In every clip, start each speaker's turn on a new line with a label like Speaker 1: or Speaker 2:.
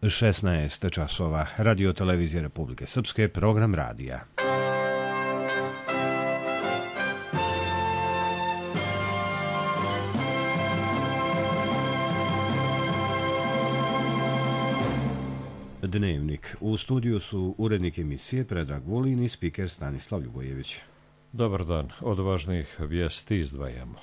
Speaker 1: 16 časova. Radio Televizije Republike Srpske, program radija. Dnevnik. U studiju su urednik emisije Predrag Vulin i spiker Stanislav Ljubojević.
Speaker 2: Dobar dan. Od važnijih vijesti izdvajamo.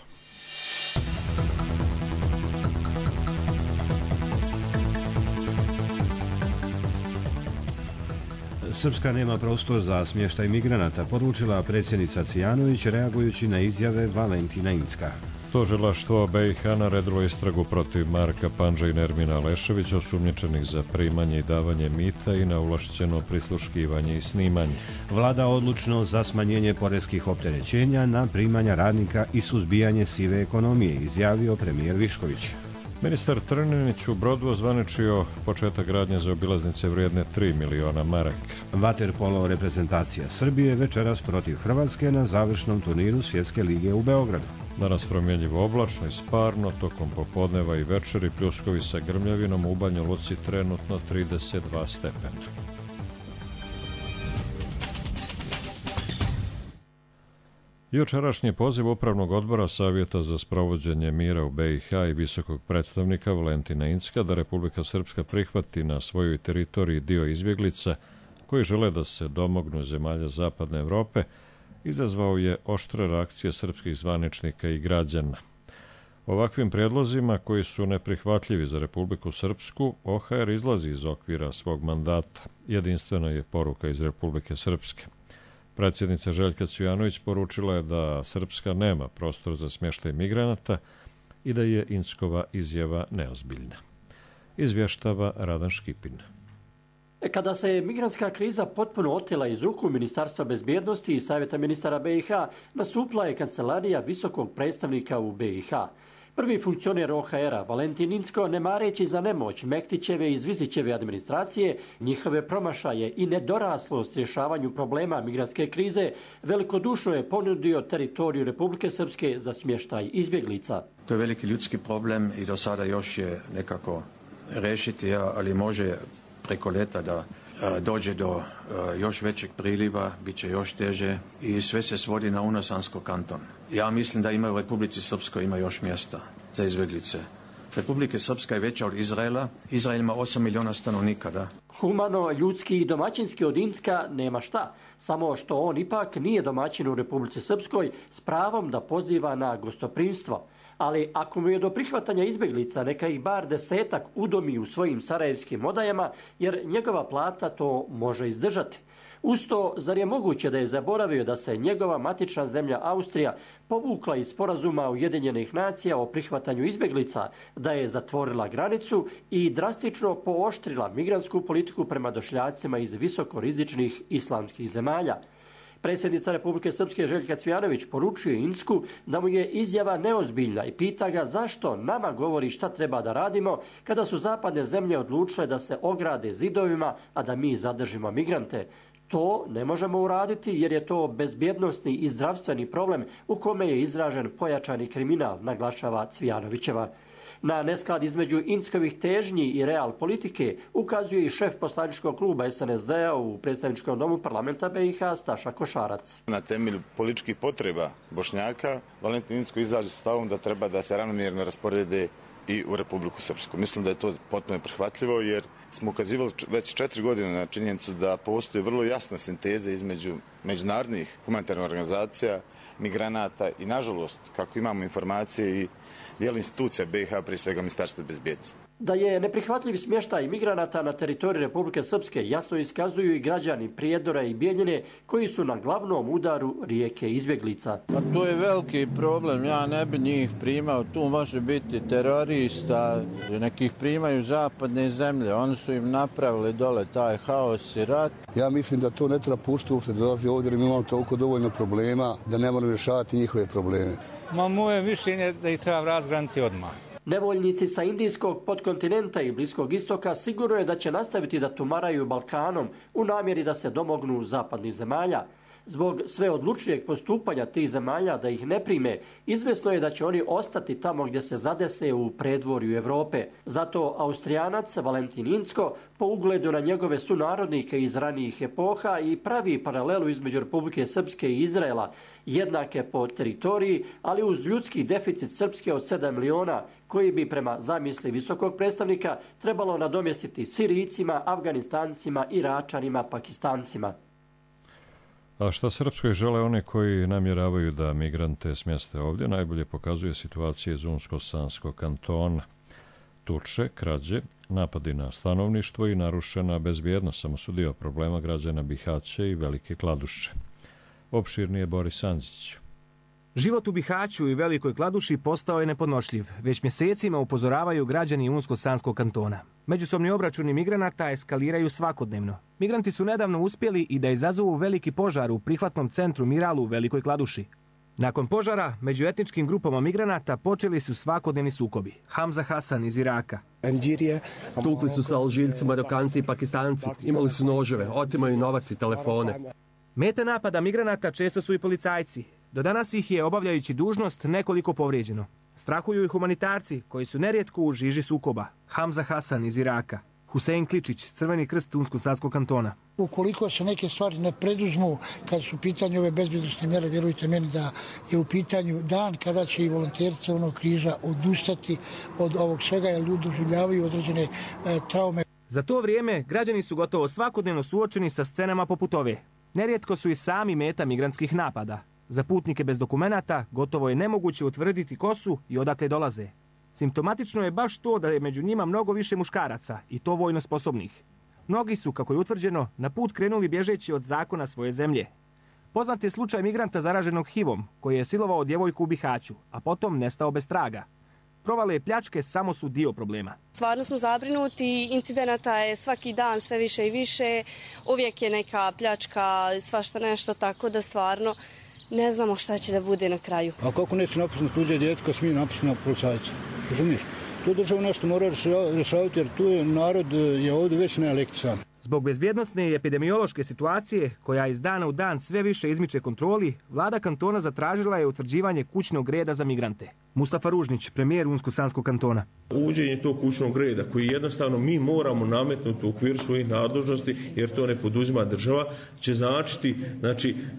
Speaker 1: Srpska nema prostor za smještaj migranata, poručila predsjednica Cvijanović reagujući na izjave Valentina Incka.
Speaker 2: Tužilaštvo BiH naredilo istragu protiv Marka Pandža i Nermina Leševića, osumnjičenih za primanje i davanje mita i na ovlašćeno prisluškivanje i snimanje.
Speaker 1: Vlada odlučno za smanjenje poreskih opterećenja na primanja radnika i suzbijanje sive ekonomije, izjavio premijer Višković.
Speaker 2: Ministar Trninić u Brodu ozvaničio početak gradnje za obilaznice vrijedne 3 miliona maraka.
Speaker 1: Vaterpolo reprezentacija Srbije večeras protiv Hrvatske na završnom turniru Svjetske lige u Beogradu.
Speaker 2: Danas promjenjivo oblačno i sparno, tokom popodneva i večeri pljuskovi sa grmljavinom, u Banja Luci trenutno 32 stepena. Jučerašnji poziv Upravnog odbora Savjeta za sprovođenje mira u BiH i visokog predstavnika Valentina Incka da Republika Srpska prihvati na svojoj teritoriji dio izbjeglica koji žele da se domognu zemalja Zapadne Evrope izazvao je oštre reakcije srpskih zvaničnika i građana. Ovakvim prijedlozima, koji su neprihvatljivi za Republiku Srpsku, OHR izlazi iz okvira svog mandata. Jedinstvena je poruka iz Republike Srpske. Predsjednica Željka Cvijanović poručila je da Srpska nema prostor za smještaj migranata i da je Inckova izjava neozbiljna. Izvještava Radan Škipin.
Speaker 3: Kada se migrantska kriza potpuno otela iz ruku Ministarstva bezbjednosti i Savjeta ministara BiH, nastupila je kancelarija visokog predstavnika u BiH. Prvi funkcioner OHR-a, Valentin Incko, ne mareći za nemoć Mektićeve i Zvizićeve administracije, njihove promašaje i nedoraslost rješavanju problema migrantske krize, velikodušno je ponudio teritoriju Republike Srpske za smještaj izbjeglica.
Speaker 4: To je veliki ljudski problem i do sada još je nekako rešiti, ali može preko leta da dođe do još većeg priliva, bit će još teže i sve se svodi na Unosansko kanton. Ja mislim da ima u Republici Srpskoj ima još mjesta za izbjeglice. Republika Srpska je veća od Izraela. Izrael ima 8 miliona stanovnika, da.
Speaker 3: Humano, ljudski i domaćinski od Incka nema šta. Samo što on ipak nije domaćin u Republici Srpskoj s pravom da poziva na gostoprimstvo. Ali ako mu je do prihvatanja izbjeglica, neka ih bar 10 udomi u svojim sarajevskim odajama, jer njegova plata to može izdržati. Uz to, zar je moguće da je zaboravio da se njegova matična zemlja Austrija povukla iz sporazuma Ujedinjenih nacija o prihvatanju izbjeglica, da je zatvorila granicu i drastično pooštrila migrantsku politiku prema došljacima iz visokorizičnih islamskih zemalja? Predsjednica Republike Srpske Željka Cvijanović poručuje Incku da mu je izjava neozbiljna i pita ga zašto nama govori šta treba da radimo kada su zapadne zemlje odlučile da se ograde zidovima, a da mi zadržimo migrante. To ne možemo uraditi jer je to bezbjednosni i zdravstveni problem u kome je izražen pojačani kriminal, naglašava Cvijanovićeva. Na nesklad između Inckovih težnji i real politike ukazuje i šef poslaničkog kluba SNSD-a u predstavničkom domu parlamenta BiH Staša Košarac.
Speaker 5: Na temelju političkih potreba Bošnjaka, Valentin Incko izraži stavom da treba da se ravnomjerno rasporede i u Republiku Srpsku. Mislim da je to potpuno prihvatljivo jer smo ukazivali već 4 godine na činjenicu da postoji vrlo jasna sinteza između međunarodnih humanitarnih organizacija, migranata i nažalost, kako imamo informacije i dijela institucija BiH, prije svega Ministarstva bezbjednosti.
Speaker 3: Da je neprihvatljiv smještaj migranata na teritoriji Republike Srpske jasno iskazuju i građani Prijedora i Bijeljine koji su na glavnom udaru rijeke izbjeglica.
Speaker 6: Pa to je veliki problem, ja ne bi njih primao, tu može biti terorista, nekih primaju zapadne zemlje, oni su im napravili dole taj haos i rat.
Speaker 7: Ja mislim da to ne treba puštiti uopšte da dolazi ovdje jer mi imamo toliko dovoljno problema da ne moramo rješavati njihove probleme.
Speaker 8: Moje mišljenje da ih treba vratiti granici odmah.
Speaker 3: Nevoljnici sa indijskog podkontinenta i Bliskog istoka sigurno je da će nastaviti da tumaraju Balkanom u namjeri da se domognu zapadnih zemalja. Zbog sve odlučnijeg postupanja tih zemalja da ih ne prime, izvesno je da će oni ostati tamo gdje se zadese u predvorju Europe. Zato Austrijanac Valentin Incko po ugledu na njegove sunarodnike iz ranijih epoha i pravi paralelu između Republike Srpske i Izraela, jednake po teritoriji, ali uz ljudski deficit Srpske od 7 miliona, koji bi prema zamisli visokog predstavnika trebalo nadomjestiti Sirijcima, Afganistancima, Iračanima, Pakistancima.
Speaker 2: A šta Srpskoj žele oni koji namjeravaju da migrante smjeste ovdje, najbolje pokazuje situacija iz Unsko-Sanskog kantona. Tuče, krađe, napadi na stanovništvo i narušena bezbjednost samo su dio problema građana Bihaća i Velike Kladuše. Opširnije Boris Andžić.
Speaker 9: Život u Bihaću i Velikoj Kladuši postao je nepodnošljiv. Već mjesecima upozoravaju građani Unsko-Sanskog kantona. Međusobni obračuni migranata eskaliraju svakodnevno. Migranti su nedavno uspjeli i da izazovu veliki požar u prihvatnom centru Miralu u Velikoj Kladuši. Nakon požara, među etničkim grupama migranata počeli su svakodnevni sukobi. Hamza Hasan iz Iraka.
Speaker 10: Tukli su se Alžiljci, Marokanci i Pakistanci. Imali su noževe, otimaju novac i telefone.
Speaker 9: Mete napada migranata često su i policajci. Do danas ih je, obavljajući dužnost, nekoliko povrijeđeno. Strahuju i humanitarci, koji su nerijetko u žiži sukoba. Hamza Hasan iz Iraka. Husein Kličić, Crveni krst Unsko-Sanskog kantona.
Speaker 11: Ukoliko se neke stvari ne preduzmu, kad su u pitanju ove bezbjednosne mjere, vjerujte meni da je u pitanju dan kada će i volonteri Crvenog križa odustati od ovog svega, jer ljudi doživljavaju određene traume.
Speaker 9: Za to vrijeme građani su gotovo svakodnevno suočeni sa scenama poput ove. Nerijetko su i sami meta migrantskih napada. Za putnike bez dokumenata gotovo je nemoguće utvrditi ko su i odakle dolaze. Simptomatično je baš to da je među njima mnogo više muškaraca i to vojno sposobnih. Mnogi su, kako je utvrđeno, na put krenuli bježeći od zakona svoje zemlje. Poznat je slučaj migranta zaraženog HIV-om koji je silovao djevojku u Bihaću, a potom nestao bez traga. Provale i pljačke samo su dio problema.
Speaker 12: Stvarno smo zabrinuti, incidenata je svaki dan sve više i više, uvijek je neka pljačka, svašta nešto, tako da stvarno ne znamo šta će da bude na kraju.
Speaker 7: A kako neće napustiti tuđe djete kad smije napustiti na policajca? Razumiješ? Tu država nešto mora rješavati jer tu je narod je ovdje već neelektrisan.
Speaker 9: Zbog bezbjednosne i epidemiološke situacije, koja iz dana u dan sve više izmiče kontroli, vlada kantona zatražila je utvrđivanje kućnog reda za migrante. Mustafa Ružnić, premijer Unsko-Sanskog kantona.
Speaker 13: Uvođenje tog kućnog reda koji jednostavno mi moramo nametnuti u okviru svojih nadležnosti, jer to ne poduzima država, će značiti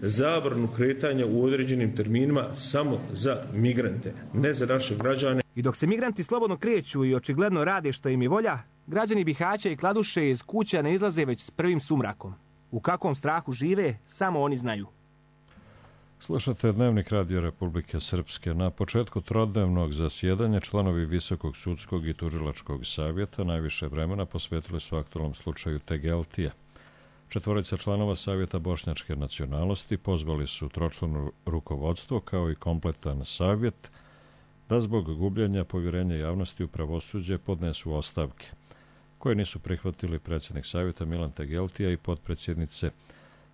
Speaker 13: zabranu kretanja u određenim terminima samo za migrante, ne za naše građane.
Speaker 9: I dok se migranti slobodno kreću i očigledno rade što im je volja, građani Bihaća i Kladuše iz kuća ne izlaze već s prvim sumrakom. U kakvom strahu žive, samo oni znaju.
Speaker 2: Slušate Dnevnik Radio Republike Srpske. Na početku trodnevnog zasjedanja članovi Visokog sudskog i tužilačkog savjeta najviše vremena posvetili su aktualnom slučaju Tegeltija. 4 članova savjeta bošnjačke nacionalnosti pozvali su tročlano rukovodstvo kao i kompletan savjet da zbog gubljenja povjerenja javnosti u pravosuđe podnesu ostavke, koje nisu prihvatili predsjednik savjeta Milan Tegeltija i potpredsjednice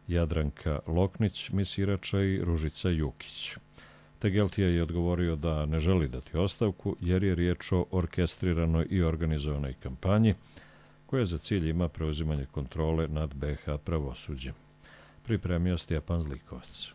Speaker 2: Jadranka Loknić, Misirača i Ružica Jukić. Tegeltija je odgovorio da ne želi dati ostavku jer je riječ o orkestriranoj i organizovanoj kampanji koja za cilj ima preuzimanje kontrole nad BiH pravosuđem. Pripremio Stjepan Zlikovac.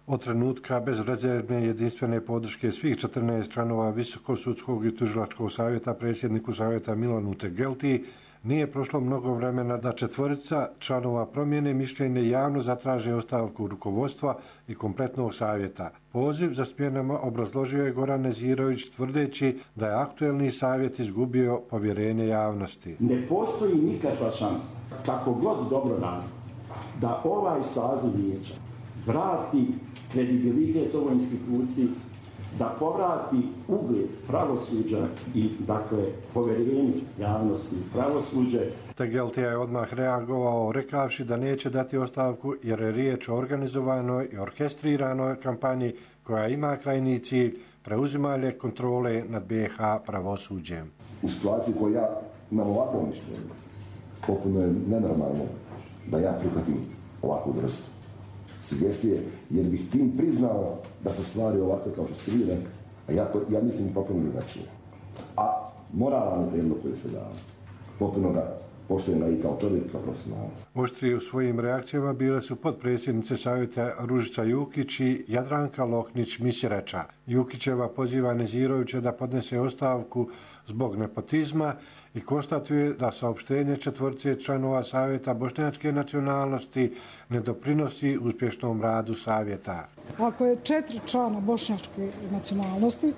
Speaker 14: Od trenutka bezrezervne jedinstvene podrške svih 14 članova Visokog sudskog i tužilačkog savjeta predsjedniku savjeta Milanu Tegeltiji nije prošlo mnogo vremena da 4 članova promijene mišljenje javno zatraže ostavku rukovodstva i kompletnog savjeta. Poziv za smjenama obrazložio je Goran Nezirović tvrdeći da je aktuelni savjet izgubio povjerenje javnosti.
Speaker 15: Ne postoji nikakva šansa, kako god dobro radi, da ovaj saziv vijeća vrati kredibilitet ovoj instituciji, da povrati ugled pravosuđa i, povjerenje javnosti u pravosuđe.
Speaker 14: Tegeltija je odmah reagovao rekavši da neće dati ostavku jer je riječ o organizovanoj i orkestriranoj kampanji koja ima krajnji cilj preuzimanje kontrole nad BiH pravosuđem.
Speaker 16: U situaciji koju ja imam ovakvo mišljenje, potpuno je nenormalno da ja prihvatim ovakvu vrstu sugestije, jer bih tim priznao da su stvari ovakve kao što ste vi rekli, a ja mislim potpuno drugačije. A moralan je prijedlog koji se dao, potpuno ga poštujem ga i kao čovjek, kao profesionalac.
Speaker 14: Oštrije u svojim reakcijama bile su potpredsjednice Savjeta Ružica Jukić i Jadranka Loknić-Misirača. Jukićeva poziva Nezirovića da podnese ostavku zbog nepotizma i konstatuje da saopštenje četvorce članova Savjeta bošnjačke nacionalnosti ne doprinosi uspješnom radu Savjeta.
Speaker 17: Ako je 4 člana bošnjačke nacionalnosti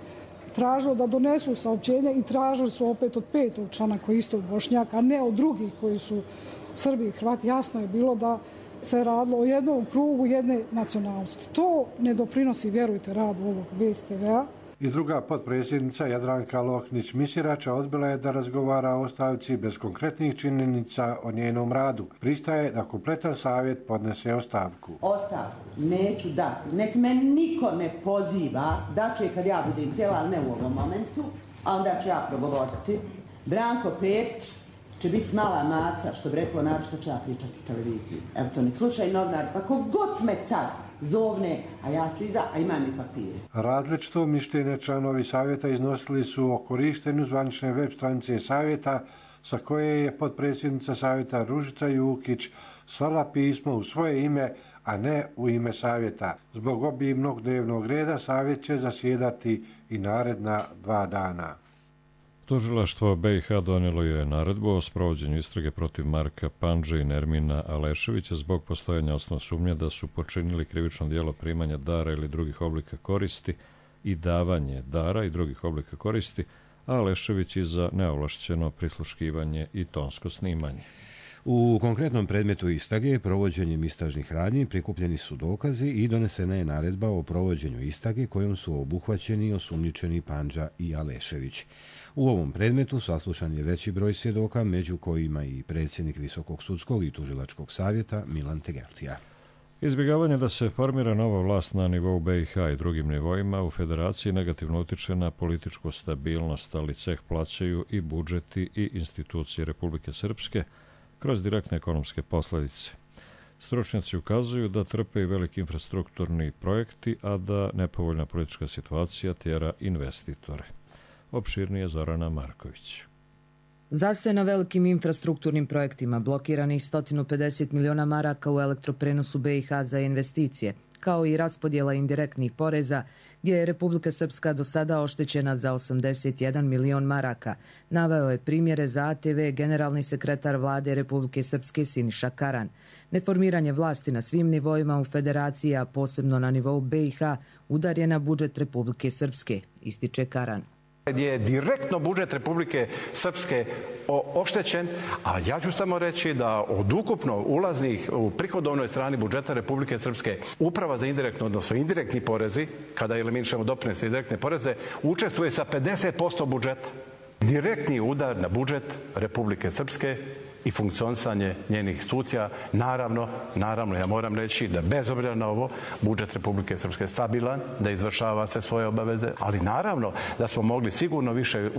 Speaker 17: tražilo da donesu saopćenje i tražili su opet od 5. člana koji je isto Bošnjak, a ne od drugih koji su Srbi i Hrvati, jasno je bilo da se radilo o jednom krugu jedne nacionalnosti. To ne doprinosi, vjerujte, radu ovog BSTV-a.
Speaker 14: I druga potpredsjednica Jadranka Loknić-Misirača odbila je da razgovara o ostavci bez konkretnih činjenica o njenom radu. Pristaje da kompletan savjet podnese ostavku.
Speaker 18: Ostavku neću dati. Nek me niko ne poziva da će kad ja budem htjela, ali ne u ovom momentu, a onda ću ja progovoriti. Branko Pepić će biti mala maca, što bi rekao, naravno ću ja pričati u televiziji. Evo to nek slušaj novinar, pa kogod me tad zovne, a ja ću iza, a imam i papire.
Speaker 14: Različito mišljenje članovi Savjeta iznosili su o korištenju zvanične web stranice Savjeta, sa koje je potpredsjednica Savjeta Ružica Jukić slala pismo u svoje ime, a ne u ime Savjeta. Zbog obimnog dnevnog reda Savjet će zasjedati i naredna 2 dana.
Speaker 2: Tužilaštvo BiH donijelo je naredbu o sprovođenju istrage protiv Marka Pandže i Nermina Aleševića zbog postojanja osnovne sumnje da su počinili krivično djelo primanja dara ili drugih oblika koristi i davanje dara i drugih oblika koristi, a Alešević i za neovlašćeno prisluškivanje i tonsko snimanje.
Speaker 1: U konkretnom predmetu istrage provođenjem istražnih radnji prikupljeni su dokazi i donesena je naredba o provođenju istrage kojom su obuhvaćeni i osumnjičeni Pandža i Alešević. U ovom predmetu saslušan je veći broj svjedoka, među kojima i predsjednik Visokog sudskog i tužilačkog savjeta Milan Tegeltija.
Speaker 2: Izbjegavanje da se formira nova vlast na nivou BiH i drugim nivoima u federaciji negativno utiče na političku stabilnost, ali ceh plaćaju i budžeti i institucije Republike Srpske kroz direktne ekonomske posljedice. Stručnjaci ukazuju da trpe i veliki infrastrukturni projekti, a da nepovoljna politička situacija tjera investitore. Opširnije Zorana Marković.
Speaker 19: Zastoj na velikim infrastrukturnim projektima, blokiranih 150 miliona maraka u elektroprenosu BiH za investicije, kao i raspodjela indirektnih poreza, gdje je Republika Srpska do sada oštećena za 81 milion maraka, naveo je primjere za ATV generalni sekretar vlade Republike Srpske Siniša Karan. Neformiranje vlasti na svim nivoima u federaciji, a posebno na nivou BiH, udar je na budžet Republike Srpske, ističe Karan.
Speaker 20: Gdje je direktno budžet Republike Srpske oštećen, a ja ću samo reći da od ukupno ulaznih u prihodovnoj strani budžeta Republike Srpske Uprava za indirektno, odnosno indirektni porezi, kada eliminišemo doprinose i direktne poreze, učestvuje sa 50% budžeta. Direktni udar na budžet Republike Srpske i funkcionisanje njenih institucija, naravno, ja moram reći da bez obzira na ovo, budžet Republike Srpske je stabilan, da izvršava sve svoje obaveze, ali naravno da smo mogli sigurno više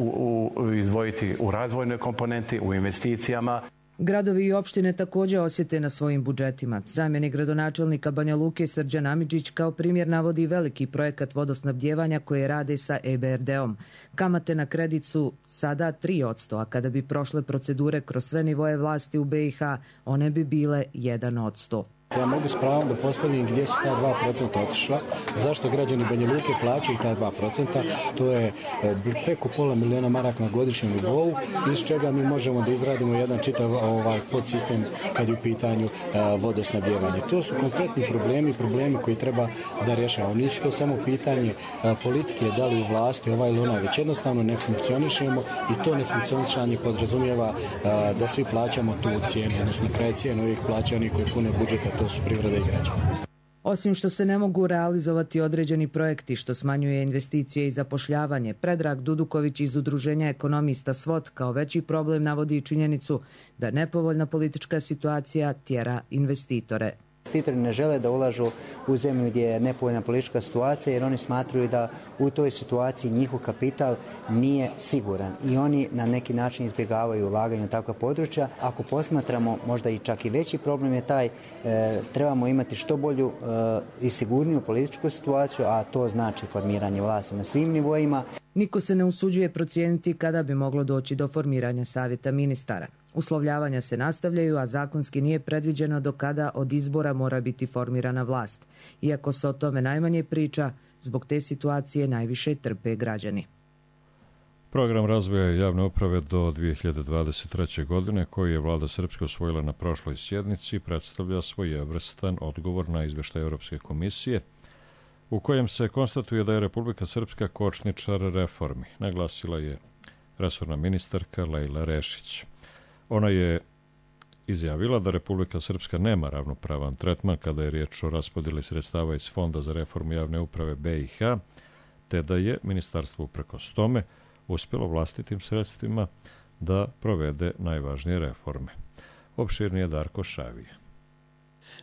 Speaker 20: izdvojiti u razvojnoj komponenti, u investicijama.
Speaker 19: Gradovi i opštine također osjete na svojim budžetima. Zamjenik gradonačelnika Banja Luke Srđan Amidžić kao primjer navodi veliki projekat vodosnabdjevanja koje rade sa EBRD-om. Kamate na kredit su sada 3%, a kada bi prošle procedure kroz sve nivoje vlasti u BiH, one bi bile 1%.
Speaker 21: Ja mogu s pravom da postavim gdje su ta 2% otišla, zašto građani Banja Luke plaćaju ta 2%, to je preko pola miliona maraka na godišnjem nivou, iz čega mi možemo da izradimo jedan čitav podsistem kad je u pitanju vodosnabdjevanje. To su konkretni problemi koji treba da rješavamo. Nisu to samo pitanje politike, da li u vlasti ovaj ili onaj, već jednostavno ne funkcionišemo i to nefunkcionisanje podrazumijeva da svi plaćamo tu cijenu, odnosno kraj cijenu uvijek plaća oni koji pune budžeta, to su privreda i građani.
Speaker 19: Osim što se ne mogu realizovati određeni projekti što smanjuje investicije i zapošljavanje, Predrag Duduković iz Udruženja ekonomista SWOT kao veći problem navodi činjenicu da nepovoljna politička situacija tjera investitore.
Speaker 22: Investitori ne žele da ulažu u zemlju gdje je nepovoljna politička situacija jer oni smatraju da u toj situaciji njihov kapital nije siguran i oni na neki način izbjegavaju ulaganje u takva područja. Ako posmatramo možda i čak i veći problem je taj, trebamo imati što bolju i sigurniju političku situaciju, a to znači formiranje vlasti na svim nivoima.
Speaker 19: Niko se ne usuđuje procijeniti kada bi moglo doći do formiranja savjeta ministara. Uslovljavanja se nastavljaju, a zakonski nije predviđeno do kada od izbora mora biti formirana vlast. Iako se o tome najmanje priča, zbog te situacije najviše trpe građani.
Speaker 2: Program razvoja javne uprave do 2023. godine, koji je vlada Srpske usvojila na prošloj sjednici, predstavlja svojevrstan odgovor na izveštaj Europske komisije, u kojem se konstatuje da je Republika Srpska kočničar reformi, naglasila je resorna ministarka Lejla Rešić. Ona je izjavila da Republika Srpska nema ravnopravan tretman kada je riječ o raspodjeli sredstava iz Fonda za reformu javne uprave BiH, te da je ministarstvo uprkos tome uspjelo vlastitim sredstvima da provede najvažnije reforme. Opširnije Darko Šavije.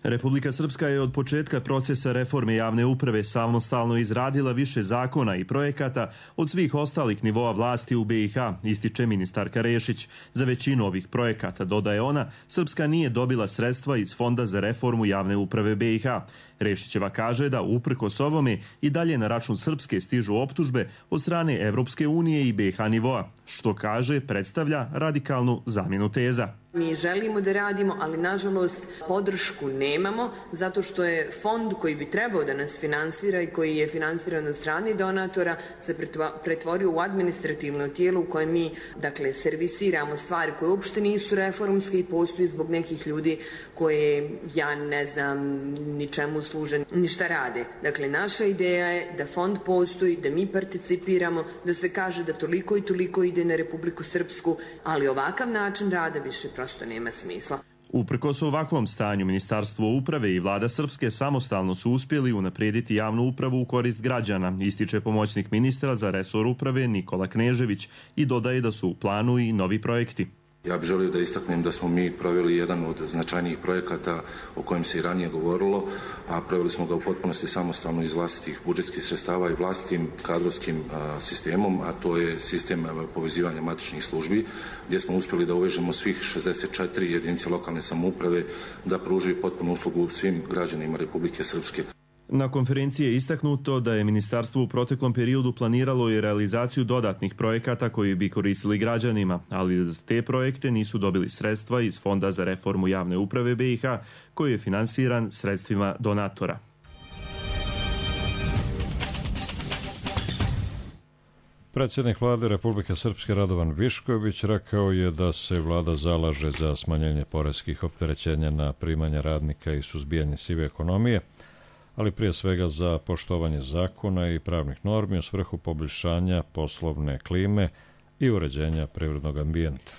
Speaker 4: Republika Srpska je od početka procesa reforme javne uprave samostalno izradila više zakona i projekata od svih ostalih nivoa vlasti u BiH, ističe ministarka Rešić. Za većinu ovih projekata, dodaje ona, Srpska nije dobila sredstva iz Fonda za reformu javne uprave BiH. Rešićeva kaže da uprkos ovome i dalje na račun Srpske stižu optužbe od strane Evropske unije i BiH nivoa, što kaže predstavlja radikalnu zamjenu teza.
Speaker 5: Mi želimo da radimo, ali nažalost podršku nemamo, zato što je fond koji bi trebao da nas finansira i koji je finansiran od strane donatora se pretvorio u administrativno tijelo u kojem mi, dakle, servisiramo stvari koje uopšte nisu reformske i postoji zbog nekih ljudi koje, ja ne znam, ničemu služe, ništa rade. Dakle, naša ideja je da fond postoji, da mi participiramo, da se kaže da toliko i toliko ide na Republiku Srpsku, ali ovakav način rada više prosto nema smisla.
Speaker 4: Uprkos ovakvom stanju, Ministarstvo uprave i vlada Srpske samostalno su uspjeli unaprijediti javnu upravu u korist građana, ističe pomoćnik ministra za resor uprave Nikola Knežević i dodaje da su u planu i novi projekti.
Speaker 23: Ja bih želio da istaknem da smo mi proveli jedan od značajnijih projekata o kojem se i ranije govorilo, a proveli smo ga u potpunosti samostalno iz vlastitih budžetskih sredstava i vlastitim kadrovskim sistemom, a to je sistem povezivanja matičnih službi, gdje smo uspjeli da uvežemo svih 64 jedinice lokalne samouprave da pruži potpunu uslugu svim građanima Republike Srpske.
Speaker 4: Na konferenciji je istaknuto da je ministarstvo u proteklom periodu planiralo i realizaciju dodatnih projekata koji bi koristili građanima, ali za te projekte nisu dobili sredstva iz Fonda za reformu javne uprave BiH, koji je finansiran sredstvima donatora.
Speaker 2: Predsjednik vlade Republike Srpske Radovan Višković rekao je da se vlada zalaže za smanjenje poreskih opterećenja na primanja radnika i suzbijanje sive ekonomije, ali prije svega za poštovanje zakona i pravnih normi u svrhu poboljšanja poslovne klime i uređenja privrednog ambijenta.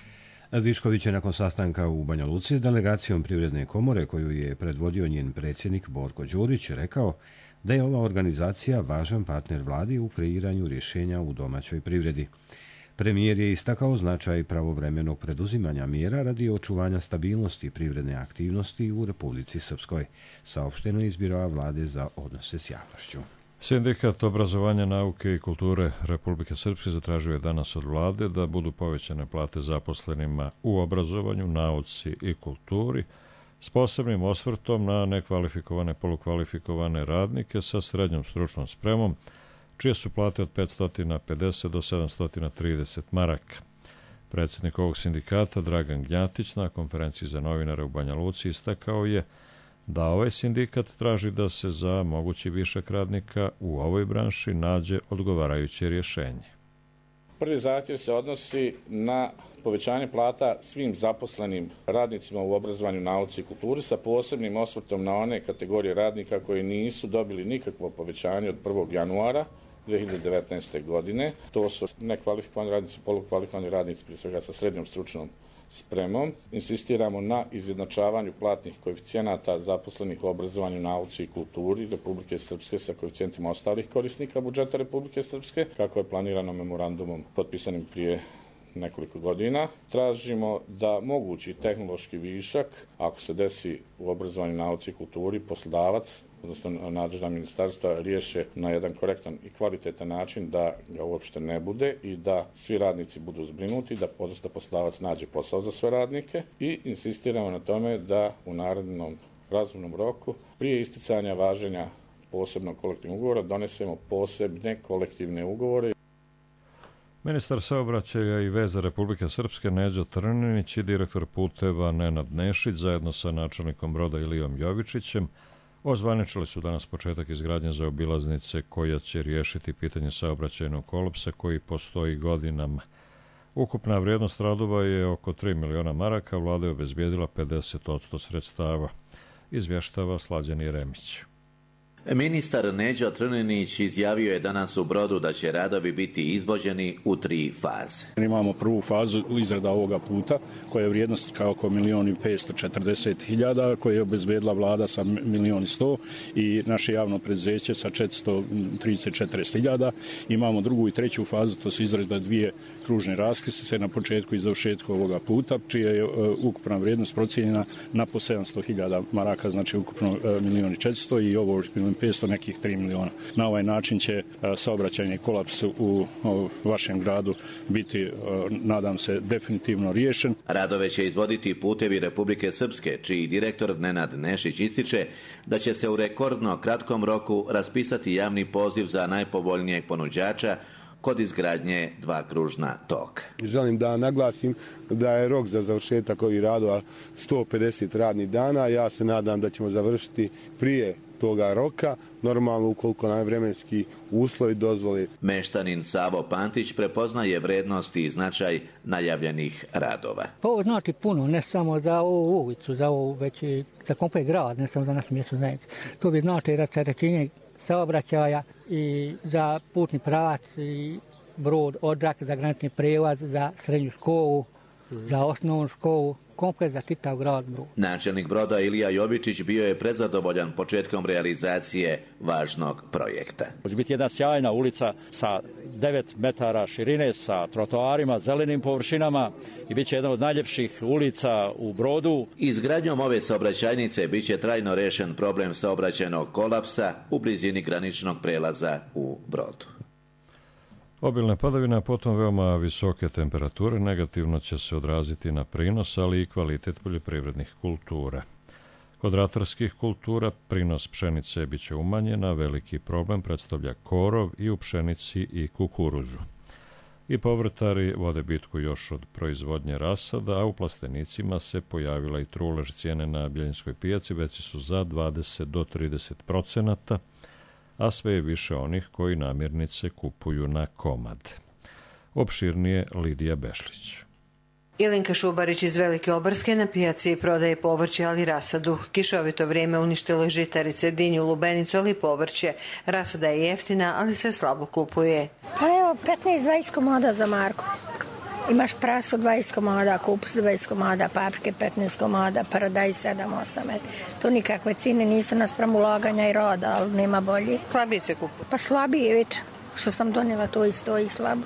Speaker 1: Višković je nakon sastanka u Banja Luci s delegacijom Privredne komore, koju je predvodio njen predsjednik Borko Đurić, rekao da je ova organizacija važan partner vladi u kreiranju rješenja u domaćoj privredi. Premijer je istakao značaj pravovremenog preduzimanja mjera radi očuvanja stabilnosti privredne aktivnosti u Republici Srpskoj, saopšteno je iz Biroa vlade za odnose s javnošću.
Speaker 2: Sindikat obrazovanja, nauke i kulture Republike Srpske zatražio je danas od vlade da budu povećane plate zaposlenima u obrazovanju, nauci i kulturi, s posebnim osvrtom na nekvalifikovane, polukvalifikovane radnike sa srednjom stručnom spremom, čije su plate od 550 do 730 maraka. Predsjednik ovog sindikata, Dragan Gnjatić, na konferenciji za novinare u Banja Luci istakao je da ovaj sindikat traži da se za mogući višak radnika u ovoj branši nađe odgovarajuće rješenje.
Speaker 24: Prvi zahtjev se odnosi na povećanje plata svim zaposlenim radnicima u obrazovanju, nauci i kulturi sa posebnim osvrtom na one kategorije radnika koji nisu dobili nikakvo povećanje od 1. januara 2019. godine. To su nekvalifikovani radnici, polukvalifikovani radnici, prije svega sa srednjom stručnom spremom. Insistiramo na izjednačavanju platnih koeficijenata zaposlenih u obrazovanju, nauci i kulturi Republike Srpske sa koeficijentima ostalih korisnika budžeta Republike Srpske, kako je planirano memorandumom potpisanim prije nekoliko godina. Tražimo da mogući tehnološki višak, ako se desi u obrazovanju, nauci i kulturi, poslodavac, odnosno nadležna ministarstva, riješe na jedan korektan i kvalitetan način da ga uopšte ne bude i da svi radnici budu zbrinuti, da poslodavac nađe posao za sve radnike i insistiramo na tome da u narednom razumnom roku prije isticanja važenja posebnog kolektivnog ugovora donesemo posebne kolektivne ugovore.
Speaker 2: Ministar saobraćaja i veza Republike Srpske Neđo Trninić i direktor puteva Nenad Nešić zajedno sa načelnikom broda Ilijom Jovičićem ozvaničili su danas početak izgradnje zaobilaznice koja će riješiti pitanje saobraćajnog kolapsa koji postoji godinama. Ukupna vrijednost radova je oko 3 miliona maraka, vlada je obezbijedila 50% sredstava, izvještava Slađani Remić.
Speaker 3: Ministar Neđo Trninić izjavio je danas u Brodu da će radovi biti izvođeni u 3 faze.
Speaker 6: Imamo prvu fazu izrada ovoga puta koja je vrijednost kao oko 1.540.000 koje je obezbedila vlada sa 1.100.000 i naše javno preduzeće sa 434.000. Imamo drugu i treću fazu, to su izrada 2 kružne raskrsnice na početku i završetku ovoga puta, čija je ukupna vrijednost procijenjena na po 700.000 maraka, znači ukupno 1.400.000 i ovo 1.500.000, nekih 3 miliona. Na ovaj način će saobraćajni kolaps u vašem gradu biti, nadam se, definitivno riješen.
Speaker 3: Radove će izvoditi Putevi Republike Srpske, čiji direktor Nenad Nešić ističe da će se u rekordno kratkom roku raspisati javni poziv za najpovoljnijeg ponuđača kod izgradnje 2 kružna toka.
Speaker 8: Želim da naglasim da je rok za završetak ovih radova 150 radnih dana. Ja se nadam da ćemo završiti prije toga roka, normalno ukoliko nam vremenski uslovi dozvole.
Speaker 3: Meštanin Savo Pantić prepoznaje vrednost i značaj najavljenih radova.
Speaker 10: Ovo znači puno, ne samo za ovu ulicu, za ovo, već i za komplet grad, ne samo za našu mjestu zajednicu. To bi znači rasterećenje saobraćaja i za putni pravac i Brod, Odžak, za granični prijelaz, za srednju školu, za osnovnu školu, komplet za čitav grad Brod.
Speaker 3: Načelnik broda Ilija Jovičić bio je prezadovoljan početkom realizacije važnog projekta.
Speaker 25: Može biti jedna sjajna ulica sa 9 metara širine, sa trotoarima, zelenim površinama i bit će jedna od najljepših ulica u Brodu.
Speaker 3: Izgradnjom ove saobraćajnice bit će trajno rešen problem saobraćajnog kolapsa u blizini graničnog prelaza u Brodu.
Speaker 2: Obilne padavine, a potom veoma visoke temperature negativno će se odraziti na prinos, ali i kvalitet poljoprivrednih kultura. Kod ratarskih kultura prinos pšenice bit će umanjen, a veliki problem predstavlja korov i u pšenici i kukuruzu. I povrtari vode bitku još od proizvodnje rasada, a u plastenicima se pojavila i trulež. Cijene na Bjeljinskoj pijaci veći su za 20 do 30%, a sve je više onih koji namirnice kupuju na komad. Opširnije Lidija Bešlić.
Speaker 26: Ilinka Šubarić iz Velike Obarske na pijaci prodaje povrće, ali rasadu. Kišovito vrijeme uništilo žitarice, dinju, lubenicu, ali povrće. Rasada je jeftina, ali se slabo kupuje.
Speaker 27: Pa evo, 15-20 komada za Marku. Imaš praso 20 komada, kupus 20 komada, paprike 15 komada, paradajz 7-8. To nikakve cijene nisu naspram ulaganja i rada, ali nema bolje.
Speaker 26: Slabije se kupuje?
Speaker 27: Pa slabije, vidite. Što sam donijela, to i stoji slabo.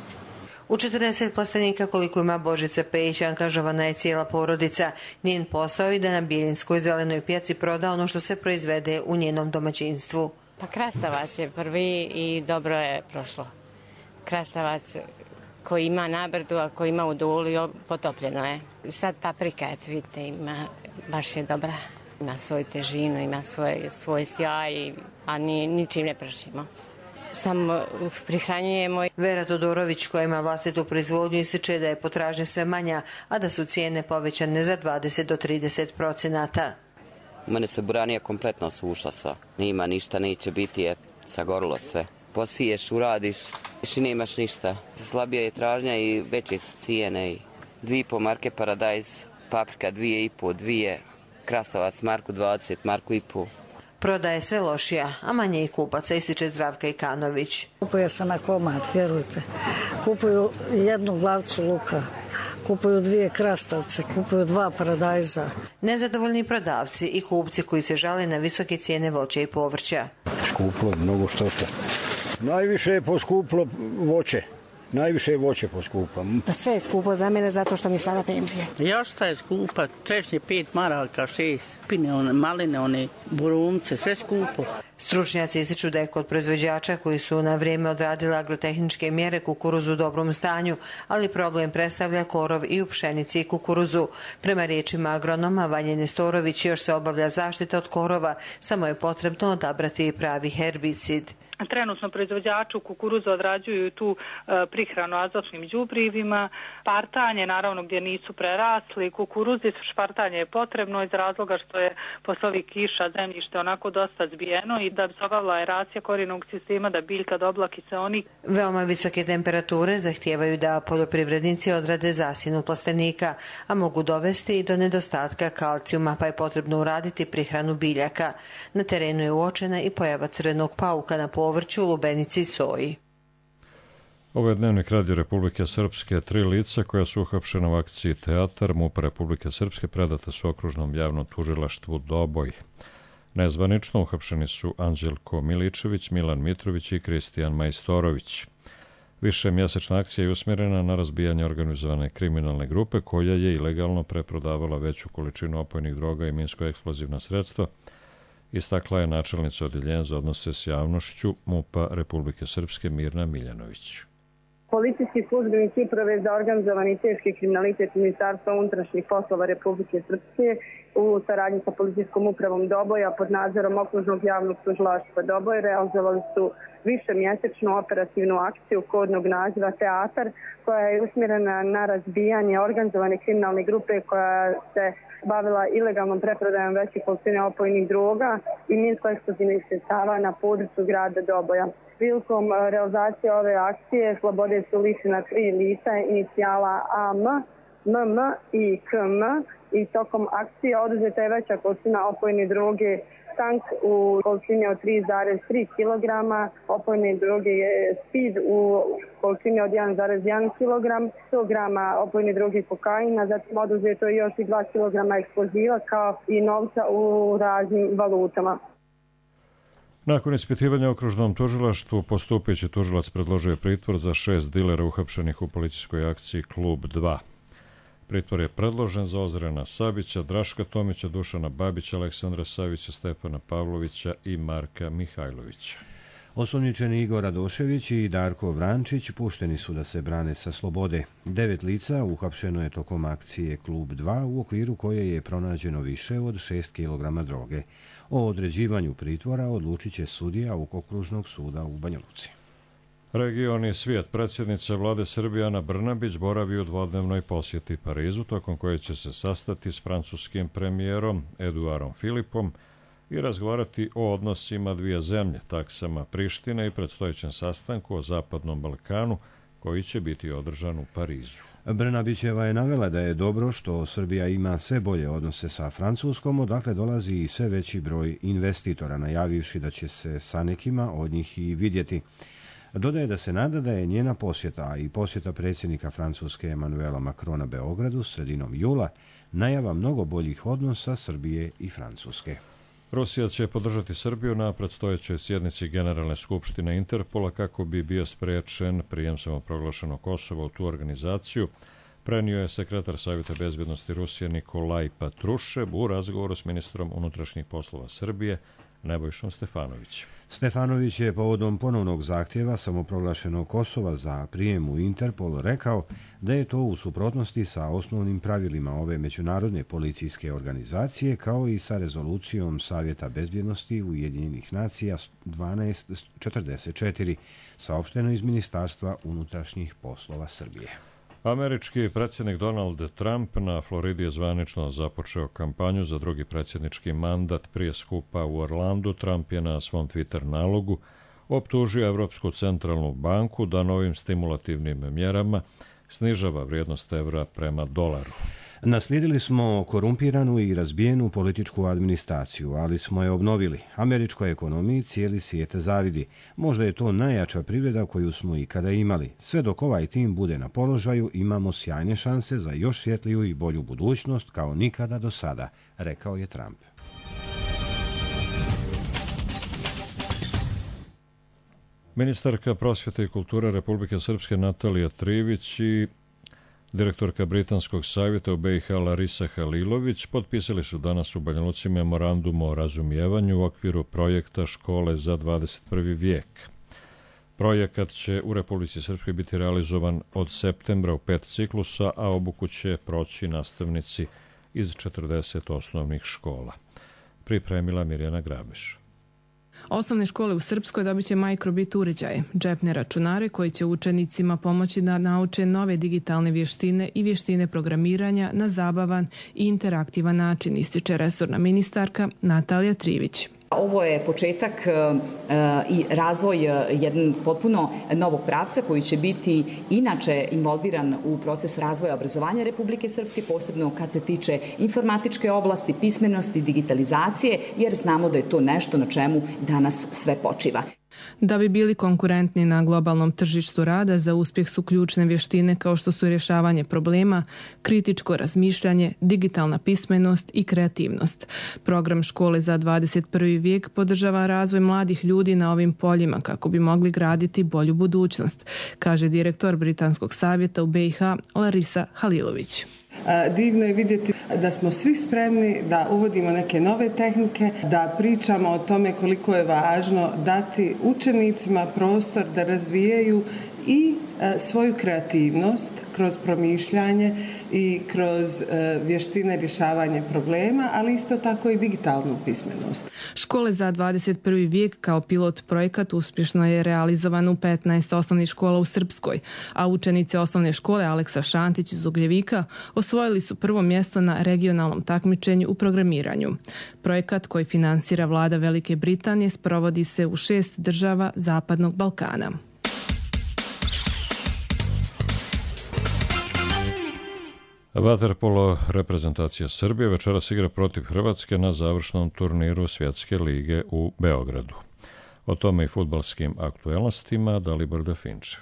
Speaker 26: U 40 plastenika koliko ima Božica Pejić angažovana je cijela porodica. Njen posao je da na Bijeljinskoj zelenoj pijaci proda ono što se proizvede u njenom domaćinstvu.
Speaker 28: Pa krastavac je prvi i dobro je prošlo. Krastavac koji ima na Brdu, a koji ima u Duli, potopljeno je. Sad paprika, vidite, ima, baš je dobra. Ima svoju težinu, ima svoj sjaj, a ničim ne pršimo. Samo prihranjujemo.
Speaker 26: Vera Todorović, koja ima vlastitu proizvodnju, ističe da je potražnja sve manja, a da su cijene povećane za 20 do 30%.
Speaker 29: Mene se buranija kompletno sušla sva. Nima ništa, neće biti, sagorilo sve. Posiješ, uradiš i nemaš ništa. Slabija je tražnja i veće su cijene. 2,5 marke paradajz, paprika 2,5, 2, krastavac Marku 20, Marku i pol.
Speaker 26: Prodaje sve lošija, a manje i kupaca, ističe Zdravka Ikanović.
Speaker 27: Kupuje se na komad, vjerujte. Kupuju 1 glavicu luka, kupuju 2 krastavce, kupuju 2 paradajza.
Speaker 26: Nezadovoljni prodavci i kupci koji se žale na visoke cijene voća i povrća.
Speaker 7: Skuplo je mnogo što. Najviše je poskuplo voće. Najviše je voće poskuplo.
Speaker 27: Sve je skupo za mene zato što mi slaba penzija.
Speaker 30: Još šta je skupa, češnje 5 maraka, 6, pine, maline, one burumce, sve skupo.
Speaker 26: Stručnjaci ističu da je kod proizvođača koji su na vrijeme odradili agrotehničke mjere kukuruz u dobrom stanju, ali problem predstavlja korov i u pšenici i kukuruzu. Prema riječima agronoma Vanje Nestorović još se obavlja zaštita od korova, samo je potrebno odabrati pravi herbicid.
Speaker 9: Trenutno proizvođači kukuruza odrađuju tu prihranu azotnim đubrivima, špartanje, naravno gdje nisu prerasli, kukuruzi špartanje je potrebno iz razloga što je posle ovih kiša zemljište onako dosta zbijeno i da bi se obavila aeracija korijenog sistema, da biljka dobila kiseonik.
Speaker 26: Veoma visoke temperature zahtijevaju da poljoprivrednici odrade zasjenu plastenika, a mogu dovesti i do nedostatka kalcijuma, pa je potrebno uraditi prihranu biljaka. Na terenu je uočena i pojava crvenog pauka na povrću, lubenici i soji.
Speaker 2: Ovo je dnevnik Radio Republike Srpske. 3 lica koja su uhapšena u akciji Teatar MUP Republike Srpske predata su okružnom javnom tužilaštvu Doboj. Nezvanično uhapšeni su Anđelko Miličević, Milan Mitrović i Kristijan Majstorović. Višemjesečna akcija je usmjerena na razbijanje organizovane kriminalne grupe koja je ilegalno preprodavala veću količinu opojnih droga i minsko-eksplozivna sredstva, istakla je načelnica Odjeljenja za odnose s javnošću MUP-a Republike Srpske Mirna Miljanović.
Speaker 11: Policijski službenici Uprave za organizovani i teški kriminalitet Ministarstva unutrašnjih poslova Republike Srpske u saradnji sa Policijskom upravom Doboja pod nadzorom okružnog javnog tužilaštva Doboj realizovali su višemjesečnu operativnu akciju kodnog naziva Teatar, koja je usmjerena na razbijanje organizovane kriminalne grupe koja se bavila ilegalnom preprodajom većih količina opojnih droga i minsko-eksplozivnih sredstava na području grada Doboja. Prilikom realizacije ove akcije slobode su lišena 3 lica inicijala AM, MM i KM i tokom akcije oduzeta je veća količina opojne droge tank u količini od 3,3 kg, opojne droge je speed u količini od 1,1 kg, 100 grama opojne droge kokaina, zatim oduzeto je još i 2 kg eksploziva kao i novca u raznim valutama.
Speaker 2: Nakon ispitivanja okružnom tužilaštvu, postupajući tužilac predložio je pritvor za 6 dilera uhapšenih u policijskoj akciji Klub 2. Pritvor je predložen za Ozrena Sabića, Draška Tomića, Dušana Babića, Aleksandra Savića, Stefana Pavlovića i Marka Mihajlovića.
Speaker 1: Osumnjičeni Igor Radošević i Darko Vrančić pušteni su da se brane sa slobode. 9 lica uhapšeno je tokom akcije Klub 2 u okviru koje je pronađeno više od 6 kg droge. O određivanju pritvora odlučit će sudija okružnog suda u Banja Luci.
Speaker 2: Region i svijet. Predsjednica vlade Srbije Ana Brnabić boravi u dvodnevnoj posjeti Parizu, tokom koje će se sastati s francuskim premijerom Eduardom Philippom i razgovarati o odnosima dvije zemlje, taksama Prištine i predstojećem sastanku o Zapadnom Balkanu, koji će biti održan u Parizu.
Speaker 1: Brnabićeva je navela da je dobro što Srbija ima sve bolje odnose sa Francuskom, odakle dolazi i sve veći broj investitora, najavivši da će se sa nekima od njih i vidjeti. Dodaje da se nada da je njena posjeta i posjeta predsjednika Francuske Emmanuela Macrona Beogradu sredinom jula najava mnogo boljih odnosa Srbije i Francuske.
Speaker 2: Rusija će podržati Srbiju na predstojećoj sjednici Generalne skupštine Interpola kako bi bio spriječen prijem samoproglašenog Kosova u tu organizaciju, prenio je sekretar Savjeta bezbjednosti Rusije Nikolaj Patrušev u razgovoru s ministrom unutrašnjih poslova Srbije Nebojšom Stefanovićem.
Speaker 1: Stefanović je povodom ponovnog zahtjeva samoproglašenog Kosova za prijem u Interpol rekao da je to u suprotnosti sa osnovnim pravilima ove međunarodne policijske organizacije kao i sa rezolucijom Savjeta bezbjednosti Ujedinjenih nacija 1244, saopšteno iz Ministarstva unutrašnjih poslova Srbije.
Speaker 2: Američki predsjednik Donald Trump na Floridi je zvanično započeo kampanju za drugi predsjednički mandat. Prije skupa u Orlandu Trump je na svom Twitter nalogu optužio Evropsku centralnu banku da novim stimulativnim mjerama snižava vrijednost evra prema dolaru.
Speaker 1: Naslijedili smo korumpiranu i razbijenu političku administraciju, ali smo je obnovili. Američkoj ekonomiji cijeli svijet zavidi. Možda je to najjača privreda koju smo ikada imali. Sve dok ovaj tim bude na položaju, imamo sjajne šanse za još svjetliju i bolju budućnost kao nikada do sada, rekao je Trump.
Speaker 2: Ministarka prosvjete i kulture Republike Srpske Natalija Trivić i direktorka Britanskog savjeta u BiH Larisa Halilović potpisali su danas u Banja Luci memorandum o razumijevanju u okviru projekta Škole za 21. vijek. Projekat će u Republici Srpskoj biti realizovan od septembra u 5 ciklusa, a obuku će proći nastavnici iz 40 osnovnih škola. Pripremila Mirjana Grabiš.
Speaker 12: Osnovne škole u Srpskoj dobit će microbit uređaje, džepne računare koji će učenicima pomoći da nauče nove digitalne vještine i vještine programiranja na zabavan i interaktivan način, ističe resorna ministarka Natalija Trivić.
Speaker 13: Ovo je početak i razvoj jednog potpuno novog pravca koji će biti inače involviran u proces razvoja obrazovanja Republike Srpske, posebno kad se tiče informatičke oblasti, pismenosti, digitalizacije, jer znamo da je to nešto na čemu danas sve počiva.
Speaker 12: Da bi bili konkurentni na globalnom tržištu rada, za uspjeh su ključne vještine kao što su rješavanje problema, kritičko razmišljanje, digitalna pismenost i kreativnost. Program Škole za 21. vijek podržava razvoj mladih ljudi na ovim poljima kako bi mogli graditi bolju budućnost, kaže direktor Britanskog savjeta u BiH Larisa Halilović.
Speaker 14: Divno je vidjeti da smo svi spremni da uvodimo neke nove tehnike, da pričamo o tome koliko je važno dati učenicima prostor da razvijaju i svoju kreativnost kroz promišljanje i kroz vještine rješavanja problema, ali isto tako i digitalnu pismenost.
Speaker 12: Škole za 21. vijek kao pilot projekat uspješno je realizovan u 15 osnovnih škola u Srpskoj, a učenici osnovne škole Aleksa Šantić iz Ugljevika osvojili su prvo mjesto na regionalnom takmičenju u programiranju. Projekat koji finansira vlada Velike Britanije sprovodi se u 6 država Zapadnog Balkana.
Speaker 2: Vaterpolo reprezentacija Srbije večeras igra protiv Hrvatske na završnom turniru Svjetske lige u Beogradu. O tome i fudbalskim aktuelnostima Dalibor Definčev.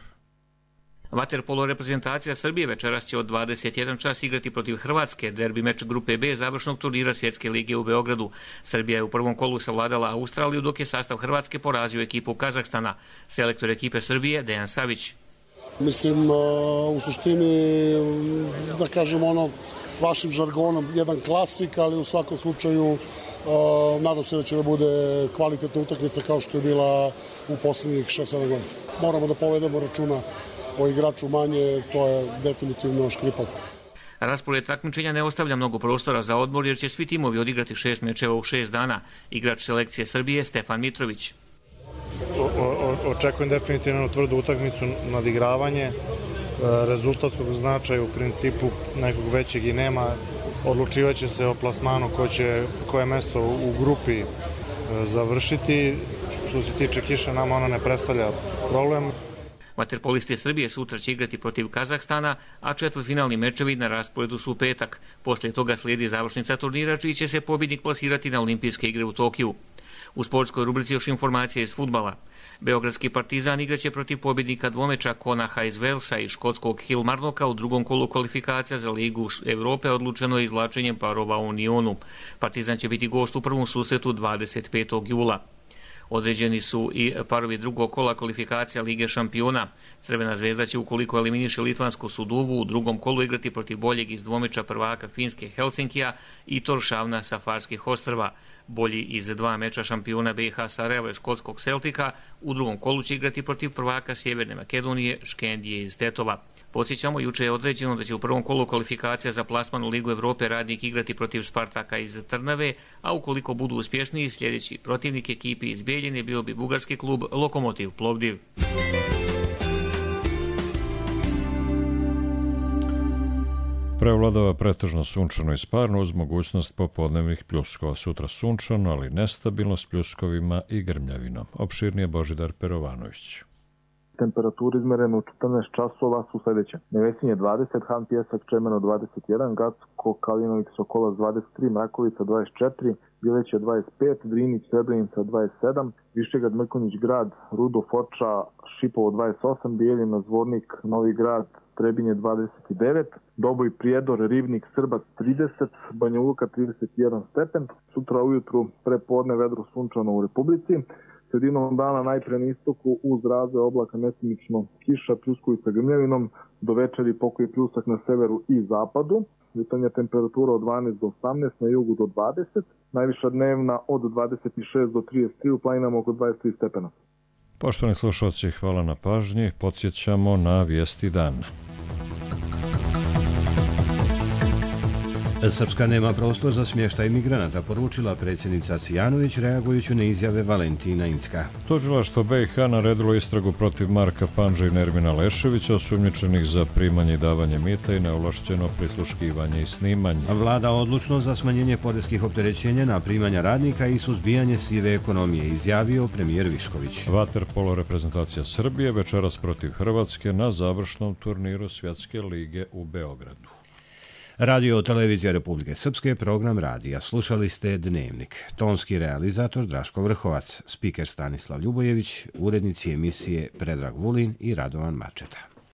Speaker 15: Vaterpolo reprezentacija Srbije večeras će od 21 čas igrati protiv Hrvatske, derbi meč grupe B završnog turnira Svjetske lige u Beogradu. Srbija je u prvom kolu savladala Australiju, dok je sastav Hrvatske porazio ekipu Kazahstana. Selektor ekipe Srbije Dejan Savić.
Speaker 16: Mislim, u suštini, da kažem vašim žargonom, jedan klasik, ali u svakom slučaju nadam se da će da bude kvalitetna utakmica kao što je bila u posljednjih 6-7 godina. Moramo da povedemo računa o igraču manje, to je definitivno Škripov.
Speaker 15: Raspored takmičenja ne ostavlja mnogo prostora za odmor jer će svi timovi odigrati 6 mečeva u 6 dana. Igrač selekcije Srbije Stefan Mitrović.
Speaker 17: Očekujem definitivno tvrdu utakmicu, nadigravanje, rezultatskog značaja u principu nekog većeg i nema. Odlučivaće se o plasmanu koje mesto u grupi završiti. Što se tiče kiše, nama ona ne predstavlja problem.
Speaker 15: Vaterpolisti Srbije sutra će igrati protiv Kazahstana, a četvrtfinalni mečevi na rasporedu su u petak. Poslije toga slijedi završnica turnira, čiji će se pobjednik plasirati na Olimpijske igre u Tokiju. U sportskoj rubrici još informacije iz fudbala. Beogradski Partizan igraće protiv pobjednika dvomeča Konaha iz Velsa i škotskog Kilmarnocka u drugom kolu kvalifikacija za Ligu Evrope, odlučeno je izvlačenjem parova u Unionu. Partizan će biti gost u prvom susretu 25. jula. Određeni su i parovi drugog kola kvalifikacija Lige šampiona. Crvena zvezda će, ukoliko eliminiše litvansku Suduvu, u drugom kolu igrati protiv boljeg iz dvomeča prvaka Finske Helsinkija i Toršavna sa Farskih ostrva. Bolji iz 2 meča šampiona BiH Sarajeva i škotskog Celtika u drugom kolu će igrati protiv prvaka Sjeverne Makedonije Škendije iz Tetova. Podsjećamo, juče je određeno da će u prvom kolu kvalifikacija za plasman u Ligu Evrope Radnik igrati protiv Spartaka iz Trnave, a ukoliko budu uspješniji, sljedeći protivnik ekipi iz Bijeljine bio bi bugarski klub Lokomotiv Plovdiv.
Speaker 2: Prevladava pretežno sunčano i sparno uz mogućnost popodnevnih pljuskova. Sutra sunčano, ali nestabilno s pljuskovima i grmljavinom. Opširnije Božidar Perovanović.
Speaker 18: Temperature izmerene u 14 časova su sljedeće. Nevesinje 20, Han Pjesak Čemeno 21, Gacko Kalinović Sokolac 23, Mrakovica 24, Bileće 25, Drinić Srebrenica 27, Višegrad Mrkonjić Grad, Rudo Foča, Šipovo 28, Bijeljina Zvornik, Novi Grad, Trebinje 29, Doboj Prijedor, Rivnik, Srbac 30, Banja Luka 31 stepen. Sutra ujutru prepodne vedro sunčano u Republici. Sredinom dana najpre na istoku uz razvoj oblaka mestimično kiša, pljuskovi sa grmljavinom, do večeri pokoji pljusak na severu i zapadu. Jutarnja temperatura od 12 do 18, na jugu do 20, najviša dnevna od 26 do 33, u planinama oko 23 stepena.
Speaker 2: Poštovani slušalci, hvala na pažnji. Podsjećamo na vijesti dana.
Speaker 1: Srpska nema prostor za smještaj migranata, poručila predsjednica Cvijanović reagujući na izjave Valentina Incka.
Speaker 2: Tužilaštvo BiH naredilo istragu protiv Marka Pandža i Nermina Leševića, osumnjičenih za primanje i davanje mita i neovlašćeno prisluškivanje i snimanje.
Speaker 1: Vlada odlučno za smanjenje poreskih opterećenja na primanja radnika i suzbijanje sive ekonomije, izjavio premijer Višković.
Speaker 2: Vaterpolo reprezentacija Srbije večeras protiv Hrvatske na završnom turniru Svjetske lige u Beogradu.
Speaker 1: Radio televizija Republike Srpske, program radija. Slušali ste Dnevnik. Tonski realizator Draško Vrhovac, spiker Stanislav Ljubojević, urednici emisije Predrag Vulin i Radovan Mačeta.